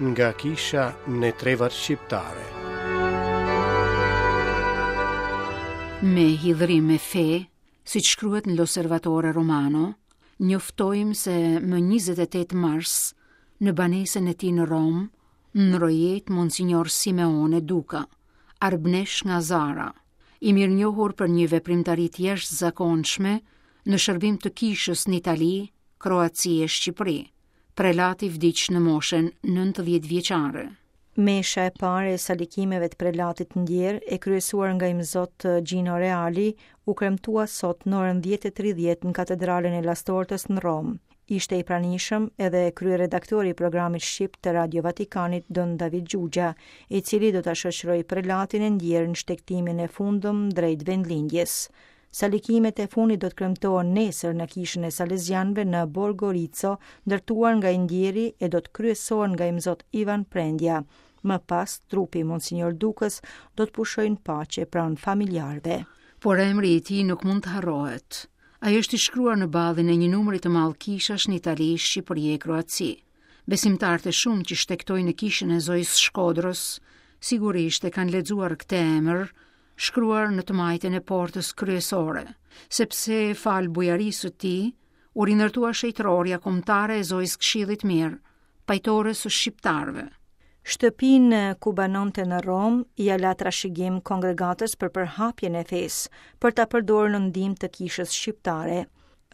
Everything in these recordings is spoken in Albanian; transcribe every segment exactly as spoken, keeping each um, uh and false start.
Nga kisha në trevat shqiptare. Me hidhrim e fe, si që shkruhet në L'Osservatore Romano, njoftojmë se më njëzet e tetë mars, në banesën e tij në Romë, ndërroi jetë Monsignor Simeone Duka, arbnesh nga Zara, i mirënjohur për një veprimtari të jashtëzakonshme në shërbim të kishës në Itali, Kroaci e Shqipëri. Prelati vdiq në moshën nëntëdhjetë vjeçare. Mesha e parë e salikimeve të prelatit ndjerë, e kryesuar nga imzot Gino Reali, u kremtua sot në orën dhjetë e tridhjetë në katedralen e Lastortës në Romë. Ishte i pranishëm edhe kryeredaktori i programit shqip të Radio Vatikanit, Don David Gjugja, i cili do ta shoqërojë prelatin e ndjerë në shtegtimin e fundëm drejt vendlindjes. Salikimet e fundit do të kremtohen nesër në kishën e Salesianëve në Borgo Rizzo, ndërtuar nga i ndjeri, e do të kryesohen nga imzot Ivan Prendja. Më pas, trupi i Monsignor Dukës do të pushojë në paqe pranë familjarëve. Por emri i tij nuk mund të harrohet. Ai është i shkruar në ballin e një numri të madh kishash në Itali, Shqipëri e Kroaci. Besimtarët e shumë që shtegtojnë në kishën e Zojës Shkodrës, sigurisht e kanë lexuar këtë emër shkruar në të majtën e portës kryesore, sepse fal bujarisë së tij u rindërtua shenjtërorja kombëtare e Zojës Këshillit Mirë, pajtores së shqiptarëve. Shtëpinë ku banonte në Romë ia la trashëgim kongregatës për përhapjen e fesë, për ta përdorur në ndihmë të kishës shqiptare.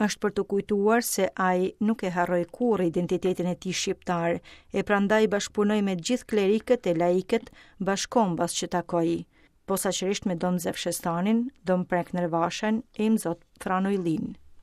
Është për të kujtuar se ai nuk e harroi kurrë identitetin e tij shqiptar, e prandaj bashkëpunoi me gjithë klerikët e laikët bashkombas që takoi, posaçërisht me Dom Zef Shestanin, Dom Prek Nërvashen e Imzot Frano Yllin.